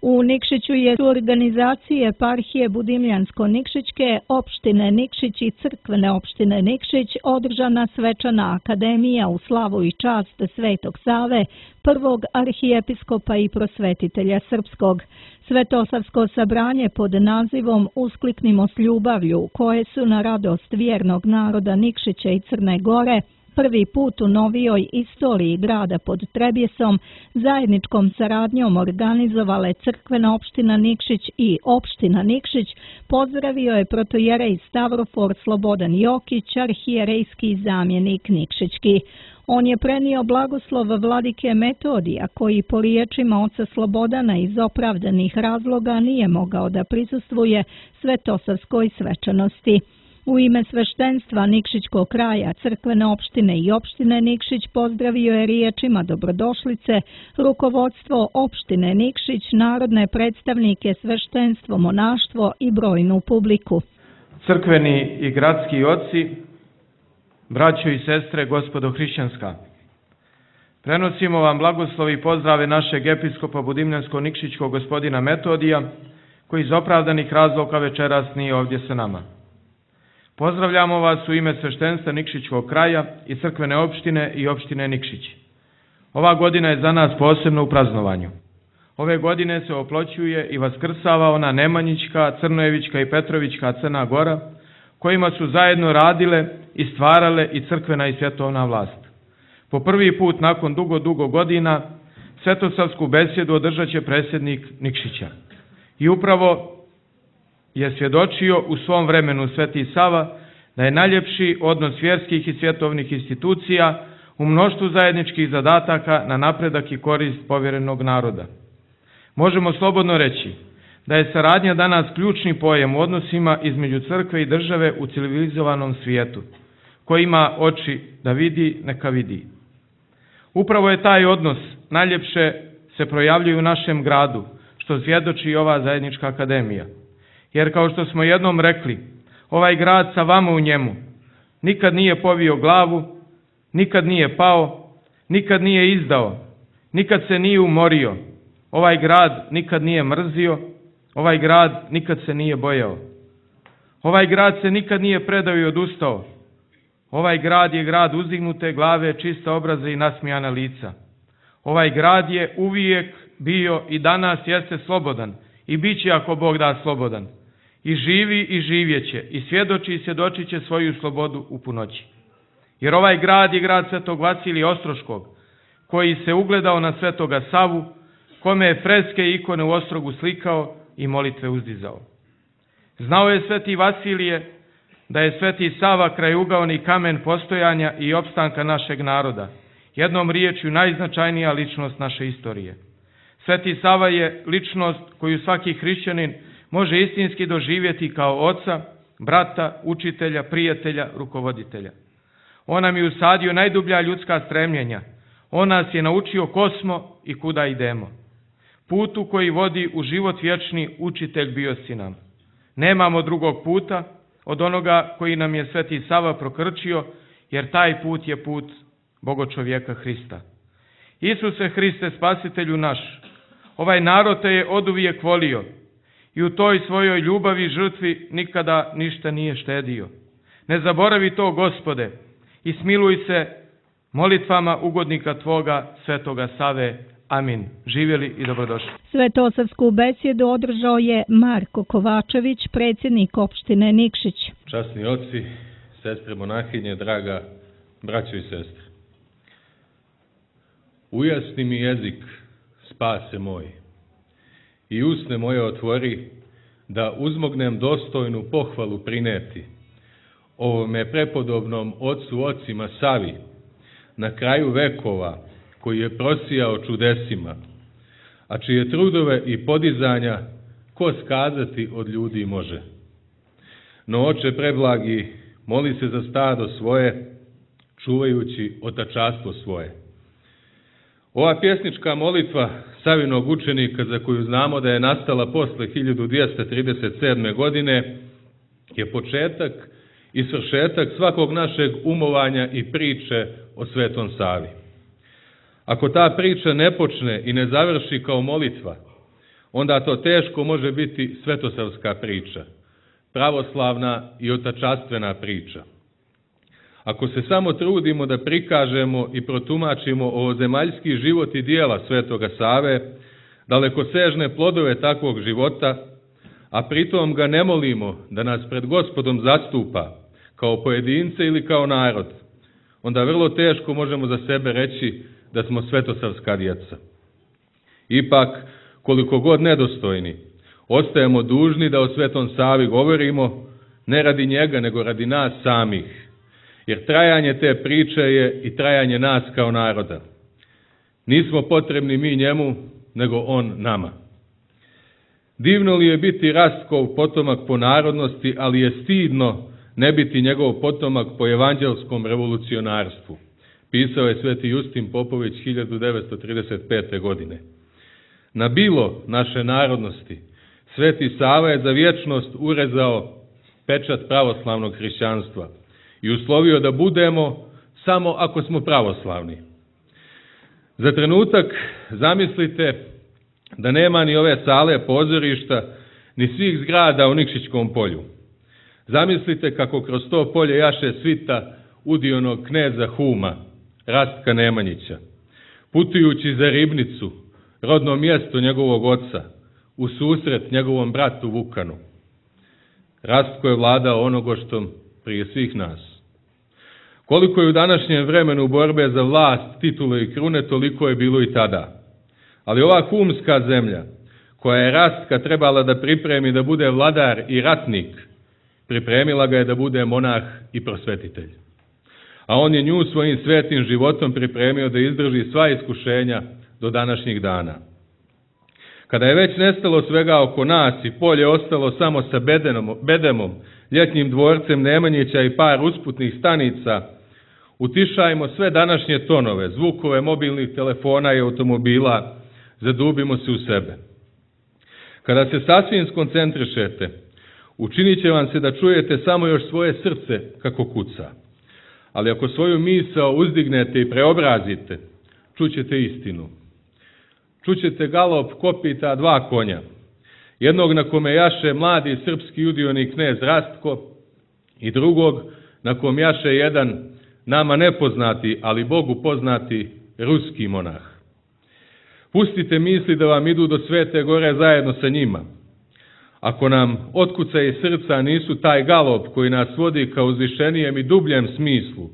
U Nikšiću je u organizacije eparhije Budimljansko-Nikšićke, opštine Nikšić i crkvene opštine Nikšić održana svečana akademija u slavu i čast Svetog Save, prvog arhijepiskopa i prosvetitelja srpskog. Svetosavsko sabranje pod nazivom Uskliknimo s ljubavlju, koje su na radost vjernog naroda Nikšića i Crne Gore prvi put u novijoj istoriji grada pod Trebjesom zajedničkom saradnjom organizovale crkvena opština Nikšić i opština Nikšić, pozdravio je protojerej Stavrofor Slobodan Jokić, arhijerejski zamjenik Nikšićki. On je prenio blagoslov vladike Metodija, koji po riječima oca Slobodana iz opravdanih razloga nije mogao da prisustvuje svetosavskoj svečanosti. U ime sveštenstva Nikšićkog kraja, crkvene opštine i opštine Nikšić pozdravio je riječima dobrodošlice rukovodstvo opštine Nikšić, narodne predstavnike, sveštenstvo, monaštvo i brojnu publiku. Crkveni i gradski oci, braćo i sestre, gospodo hrišćanska, prenosimo vam blagoslov i pozdrave našeg episkopa Budimljansko-Nikšićkog gospodina Metodija, koji iz opravdanih razloga večeras nije ovdje sa nama. Pozdravljamo vas u ime sveštenstva Nikšićkog kraja i crkvene opštine i opštine Nikšić. Ova godina je za nas posebno u praznovanju. Ove godine se oploćuje i vaskrsava ona Nemanjićka, Crnojevićka i Petrovićka Crna Gora, kojima su zajedno radile i stvarale i crkvena i svjetovna vlast. Po prvi put nakon dugo godina svetosavsku besjedu održat će predsjednik Nikšića. I upravo je svjedočio u svom vremenu Sveti Sava da je najljepši odnos vjerskih i svjetovnih institucija u mnoštvu zajedničkih zadataka na napredak i korist povjerenog naroda. Možemo slobodno reći da je saradnja danas ključni pojam u odnosima između crkve i države u civilizovanom svijetu. Ko ima oči da vidi, neka vidi. Upravo je taj odnos najljepše se projavljuje u našem gradu, što svjedoči i ova zajednička akademija. Jer kao što smo jednom rekli, ovaj grad sa vama u njemu nikad nije povio glavu, nikad nije pao, nikad nije izdao, nikad se nije umorio, ovaj grad nikad nije mrzio, ovaj grad nikad se nije bojao. Ovaj grad se nikad nije predao i odustao. Ovaj grad je grad uzdignute glave, čista obraza i nasmijana lica. Ovaj grad je uvijek bio i danas jeste slobodan i bit će ako Bog da slobodan. I živi i živjeće i svjedoči i svjedočit će svoju slobodu u punoći. Jer ovaj grad je grad Svetog Vasilija Ostroškog, koji se ugledao na Svetoga Savu, kome je freske i ikone u Ostrogu slikao i molitve uzdizao. Znao je Sveti Vasilije da je Sveti Sava krajugaoni kamen postojanja i opstanka našeg naroda, jednom riječju najznačajnija ličnost naše istorije. Sveti Sava je ličnost koju svaki hrišćanin može istinski doživjeti kao oca, brata, učitelja, prijatelja, rukovoditelja. On nam je usadio najdublja ljudska stremljenja. On nas je naučio ko smo i kuda idemo. Putu koji vodi u život vječni učitelj bio si nam. Nemamo drugog puta od onoga koji nam je Sveti Sava prokrčio, jer taj put je put Bogočovjeka Hrista. Isuse Hriste, spasitelju naš, ovaj narod te je oduvijek volio i u toj svojoj ljubavi i žrtvi nikada ništa nije štedio. Ne zaboravi to, Gospode, i smiluj se molitvama ugodnika Tvoga, Svetoga Save. Amin. Živjeli i dobrodošli. Svetosavsku besjedu održao je Marko Kovačević, predsjednik opštine Nikšić. Časni oci, sestre monahinje, draga braćo i sestre. Ujasni mi jezik, spase moj, i usne moje otvori, da uzmognem dostojnu pohvalu prineti ovome prepodobnom ocu ocima Savi, na kraju vekova, koji je prosijao čudesima, a čije trudove i podizanja ko skazati od ljudi može. No, oče preblagi, moli se za stado svoje, čuvajući otačastvo svoje. Ova pjesnička molitva Savinog učenika, za koju znamo da je nastala posle 1237. godine, je početak i svršetak svakog našeg umovanja i priče o Svetom Savi. Ako ta priča ne počne i ne završi kao molitva, onda to teško može biti svetosavska priča, pravoslavna i otačastvena priča. Ako se samo trudimo da prikažemo i protumačimo ovozemaljski život i dijela Svetoga Save, dalekosežne plodove takvog života, a pritom ga ne molimo da nas pred Gospodom zastupa kao pojedince ili kao narod, onda vrlo teško možemo za sebe reći da smo svetosavska djeca. Ipak, koliko god nedostojni, ostajemo dužni da o Svetom Savi govorimo, ne radi njega, nego radi nas samih, jer trajanje te priče je i trajanje nas kao naroda. Nismo potrebni mi njemu, nego on nama. Divno li je biti Rastkov potomak po narodnosti, ali je stidno ne biti njegov potomak po evanđelskom revolucionarstvu, pisao je sveti Justin Popović 1935. godine. Na bilo naše narodnosti Sveti Sava je za vječnost urezao pečat pravoslavnog hrišćanstva i uslovio da budemo samo ako smo pravoslavni. Za trenutak zamislite da nema ni ove sale pozorišta, ni svih zgrada u Nikšićkom polju. Zamislite kako kroz to polje jaše svita udionog kneza Huma, Rastka Nemanjića, putujući za Ribnicu, rodno mjesto njegovog oca, u susret njegovom bratu Vukanu. Rastko je vladao onogoštom prije svih nas. Koliko je u današnjem vremenu borbe za vlast, titule i krune, toliko je bilo i tada. Ali ova humska zemlja, koja je Rastka trebala da pripremi da bude vladar i ratnik, pripremila ga je da bude monah i prosvetitelj. A on je nju svojim svetim životom pripremio da izdrži sva iskušenja do današnjih dana. Kada je već nestalo svega oko nas i polje ostalo samo sa bedemom, ljetnjim dvorcem Nemanjića i par usputnih stanica, utišajmo sve današnje tonove, zvukove mobilnih telefona i automobila, zadubimo se u sebe. Kada se sasvim skoncentrišete, učinit će vam se da čujete samo još svoje srce kako kuca. Ali ako svoju misao uzdignete i preobrazite, čućete istinu. Čućete galop kopita dva konja, jednog na kome jaše mladi srpski udioni knez Rastko i drugog na kom jaše jedan nama nepoznati, ali Bogu poznati ruski monah. Pustite misli da vam idu do Svete Gore zajedno sa njima. Ako nam otkucaji srca nisu taj galop koji nas vodi ka uzvišenijem i dubljem smislu,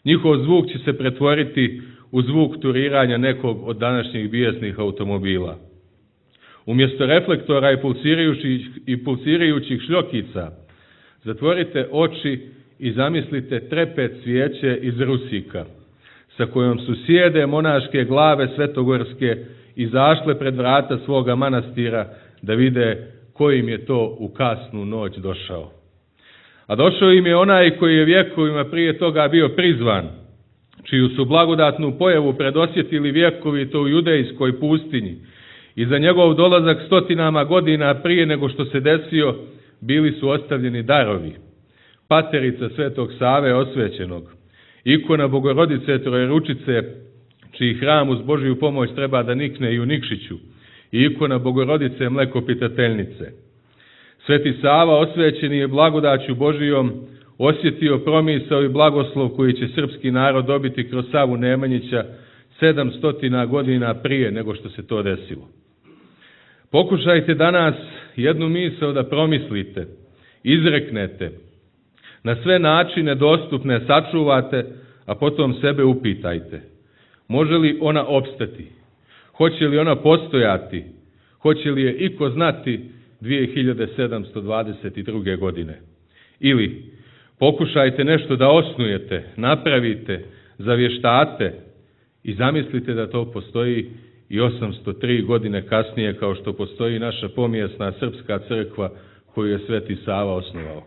njihov zvuk će se pretvoriti u zvuk turiranja nekog od današnjih bijesnih automobila. Umjesto reflektora i pulsirajućih šljokica, zatvorite oči i zamislite trepet svijeće iz rusika, sa kojom su sjede monaške glave svetogorske izašle pred vrata svoga manastira da vide kojim je to u kasnu noć došao. A došao im je onaj koji je vjekovima prije toga bio prizvan, čiju su blagodatnu pojavu predosjetili vjekovi to u judejskoj pustinji i za njegov dolazak stotinama godina prije nego što se desio bili su ostavljeni darovi. Paterica Svetog Save osvećenog, ikona Bogorodice Trojeručice, čiji hram uz Božju pomoć treba da nikne i u Nikšiću, i ikona Bogorodice Mlekopitateljnice. Sveti Sava osvećeni je blagodaću Božijom osjetio promisao i blagoslov koji će srpski narod dobiti kroz Savu Nemanjića 700 godina prije nego što se to desilo. Pokušajte danas jednu misao da promislite, izreknete, na sve načine dostupne sačuvate, a potom sebe upitajte. Može li ona opstati? Hoće li ona postojati? Hoće li je iko znati 2722. godine? Ili pokušajte nešto da osnujete, napravite, zavještate i zamislite da to postoji i 803 godine kasnije kao što postoji naša pomijesna srpska crkva koju je Sveti Sava osnovao.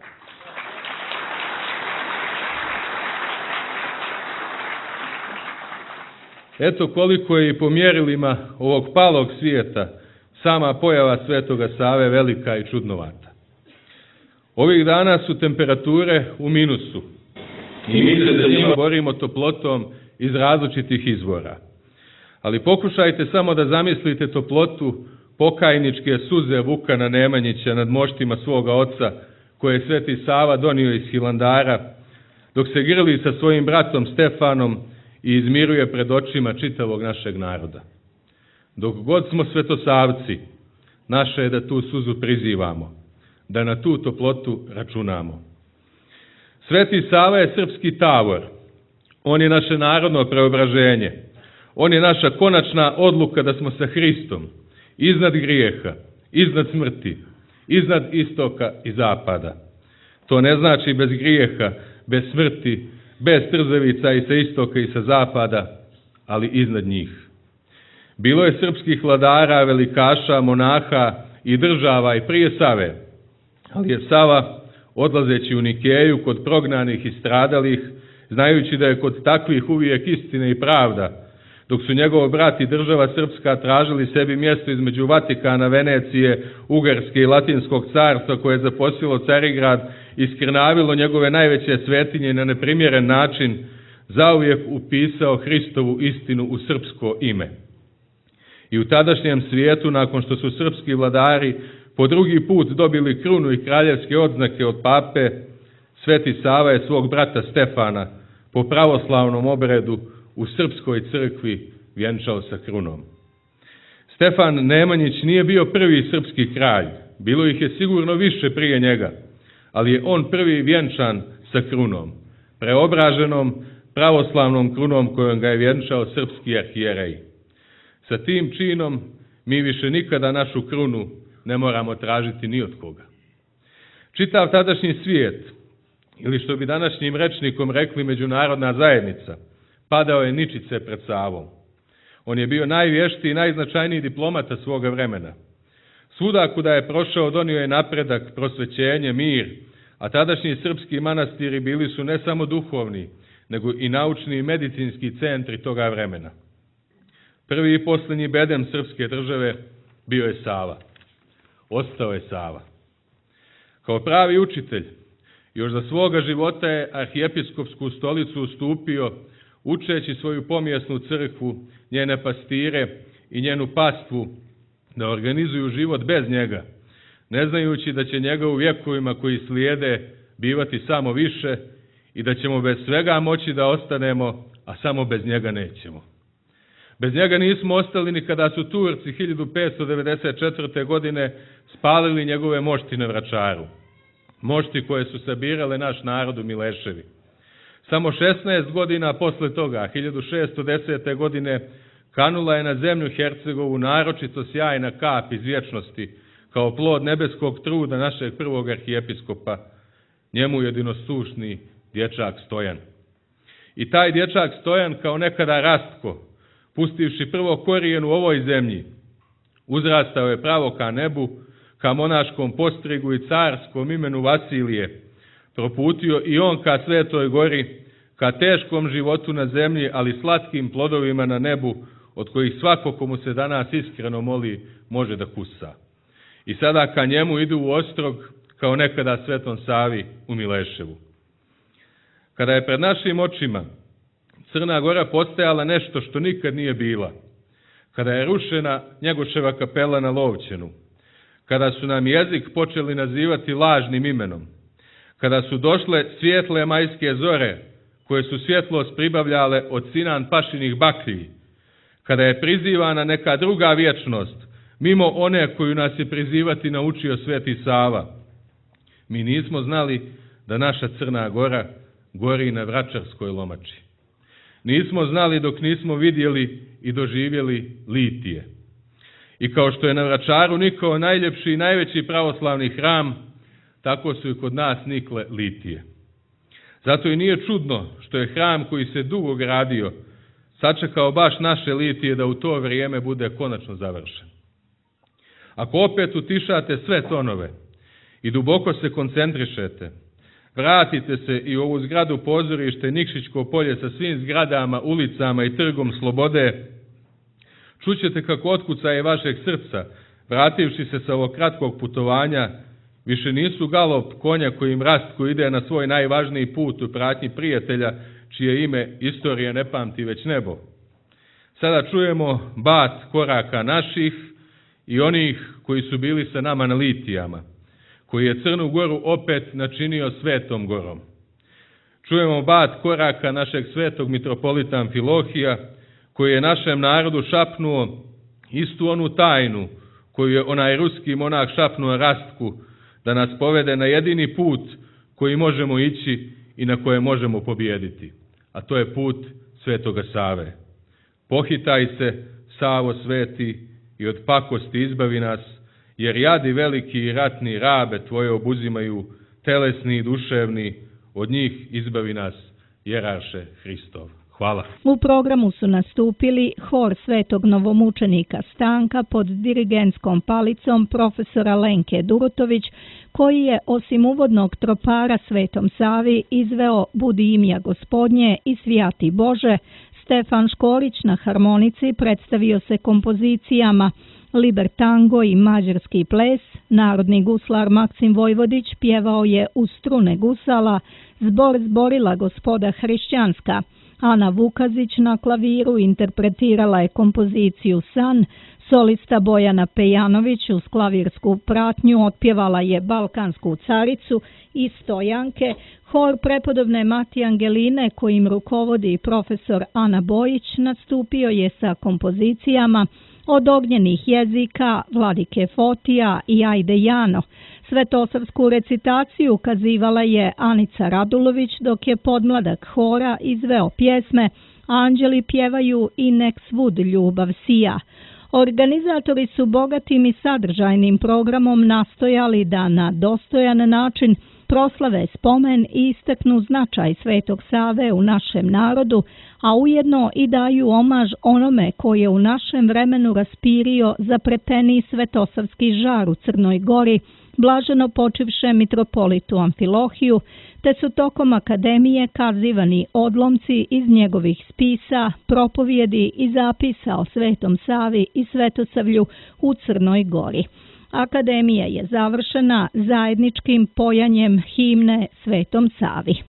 Eto koliko je i po mjerilima ovog palog svijeta sama pojava Svetoga Save velika i čudnovata. Ovih dana su temperature u minusu i mi se za njima borimo toplotom iz različitih izvora. Ali pokušajte samo da zamislite toplotu pokajničke suze Vukana Nemanjića nad moštima svoga oca, koje je Sveti Sava donio iz Hilandara, dok se grli sa svojim bratom Stefanom i izmiruje pred očima čitavog našeg naroda. Dok god smo svetosavci, naše je da tu suzu prizivamo, da na tu toplotu računamo. Sveti Sava je srpski tavor, on je naše narodno preobraženje, on je naša konačna odluka da smo sa Hristom, iznad grijeha, iznad smrti, iznad istoka i zapada. To ne znači bez grijeha, bez smrti, bez trzavica i sa istoka i sa zapada, ali iznad njih. Bilo je srpskih vladara, velikaša, monaha i država i prije Save, ali je Sava, odlazeći u Nikeju kod prognanih i stradalih, znajući da je kod takvih uvijek istine i pravda, dok su njegov brat i država srpska tražili sebi mjesto između Vatikana, Venecije, Ugarske i Latinskog carstva koje je zaposilo Carigrad i skrnavilo njegove najveće svetinje na neprimjeren način, zauvijek upisao Hristovu istinu u srpsko ime. I u tadašnjem svijetu, nakon što su srpski vladari po drugi put dobili krunu i kraljevske odznake od pape, Sveti Sava je svog brata Stefana po pravoslavnom obredu u srpskoj crkvi vjenčao sa krunom. Stefan Nemanjić nije bio prvi srpski kralj, bilo ih je sigurno više prije njega, ali je on prvi vjenčan sa krunom, preobraženom pravoslavnom krunom kojom ga je vjenčao srpski arhijerej. Sa tim činom mi više nikada našu krunu ne moramo tražiti ni od koga. Čitav tadašnji svijet, ili što bi današnjim rečnikom rekli međunarodna zajednica, padao je ničice pred Savom. On je bio najvještiji i najznačajniji diplomata svoga vremena. Svuda kuda je prošao donio je napredak, prosvećenje, mir, a tadašnji srpski manastiri bili su ne samo duhovni, nego i naučni i medicinski centri toga vremena. Prvi i posljednji bedem srpske države bio je Sava. Ostao je Sava. Kao pravi učitelj, još za svoga života je arhijepiskopsku stolicu ustupio, učeći svoju pomjesnu crkvu, njene pastire i njenu pastvu da organizuju život bez njega, ne znajući da će njega u vjekovima koji slijede bivati samo više i da ćemo bez svega moći da ostanemo, a samo bez njega nećemo. Bez njega nismo ostali ni kada su Turci 1594. godine spalili njegove mošti na Vračaru. Mošti koje su sabirale naš narod u Mileševi. Samo 16 godina posle toga, 1610. godine, kanula je na zemlju Hercegovu naročito sjajna kap iz vječnosti, kao plod nebeskog truda našeg prvog arhijepiskopa, njemu jedinostušni dječak Stojan. I taj dječak Stojan, kao nekada Rastko, pustivši prvo korijen u ovoj zemlji, uzrastao je pravo ka nebu, ka monaškom postrigu i carskom imenu Vasilije, proputio i on ka Svetoj gori, ka teškom životu na zemlji, ali slatkim plodovima na nebu, od kojih svako komu se danas iskreno moli može da kusa. I sada ka njemu idu u Ostrog, kao nekada Svetom Savi u Mileševu. Kada je pred našim očima Crna Gora postajala nešto što nikad nije bila, kada je rušena Njegoševa kapela na Lovćenu, kada su nam jezik počeli nazivati lažnim imenom, kada su došle svijetle majske zore, koje su svjetlost pribavljale od Sinan Pašinih baklji, kada je prizivana neka druga vječnost, mimo one koju nas je prizivati naučio Sveti Sava, mi nismo znali da naša Crna Gora gori na Vračarskoj lomači. Nismo znali dok nismo vidjeli i doživjeli litije. I kao što je na Vračaru nikao najljepši i najveći pravoslavni hram, tako su i kod nas nikle litije. Zato i nije čudno što je hram koji se dugo gradio sačekao baš naše litije da u to vrijeme bude konačno završen. Ako opet utišate sve tonove i duboko se koncentrišete, vratite se i u ovu zgradu pozorište Nikšićko polje sa svim zgradama, ulicama i trgom slobode, čućete kako otkucaje vašeg srca, vrativši se sa ovog kratkog putovanja, više nisu galop konja kojim Rastko ide na svoj najvažniji put u pratnji prijatelja, čije ime istorija ne pamti već nebo. Sada čujemo bat koraka naših i onih koji su bili sa nama na litijama, koji je Crnu Goru opet načinio svetom gorom. Čujemo bat koraka našeg svetog mitropolita Amfilohija, koji je našem narodu šapnuo istu onu tajnu koju je onaj ruski monah šapnuo Rastku, da nas povede na jedini put koji možemo ići i na koje možemo pobijediti, a to je put Svetoga Save. Pohitaj se, Savo sveti, i od pakosti izbavi nas, jer jadi veliki i ratni rabe tvoje obuzimaju, telesni i duševni, od njih izbavi nas, jerarše Hristov. Hvala. U programu su nastupili hor svetog novomučenika Stanka pod dirigentskom palicom profesora Lenke Durutović, koji je osim uvodnog tropara Svetom Savi izveo Budi imja Gospodnje i Svijati Bože. Stefan Škorić na harmonici predstavio se kompozicijama Liber tango i mađarski ples, narodni guslar Maksim Vojvodić pjevao je uz strune gusala, zbor zborila Gospoda hrišćanska. Ana Vukazić na klaviru interpretirala je kompoziciju San, solista Bojana Pejanović uz klavirsku pratnju otpjevala je Balkansku caricu i Stojanke, hor prepodobne Mati Angeline kojim rukovodi profesor Ana Bojić nastupio je sa kompozicijama Od ognjenih jezika, Vladike Fotija i Ajde Jano. Svetosavsku recitaciju kazivala je Anica Radulović, dok je podmladak hora izveo pjesme Anđeli pjevaju i Nek svud ljubav sija. Organizatori su bogatim i sadržajnim programom nastojali da na dostojan način proslave spomen i istaknu značaj Svetog Save u našem narodu, a ujedno i daju omaž onome koji je u našem vremenu raspirio zapreteni svetosavski žar u Crnoj Gori, blaženo počivše mitropolitu Amfilohiju, te su tokom akademije kazivani odlomci iz njegovih spisa, propovjedi i zapisa o Svetom Savi i Svetosavlju u Crnoj Gori. Akademija je završena zajedničkim pojanjem himne Svetom Savi.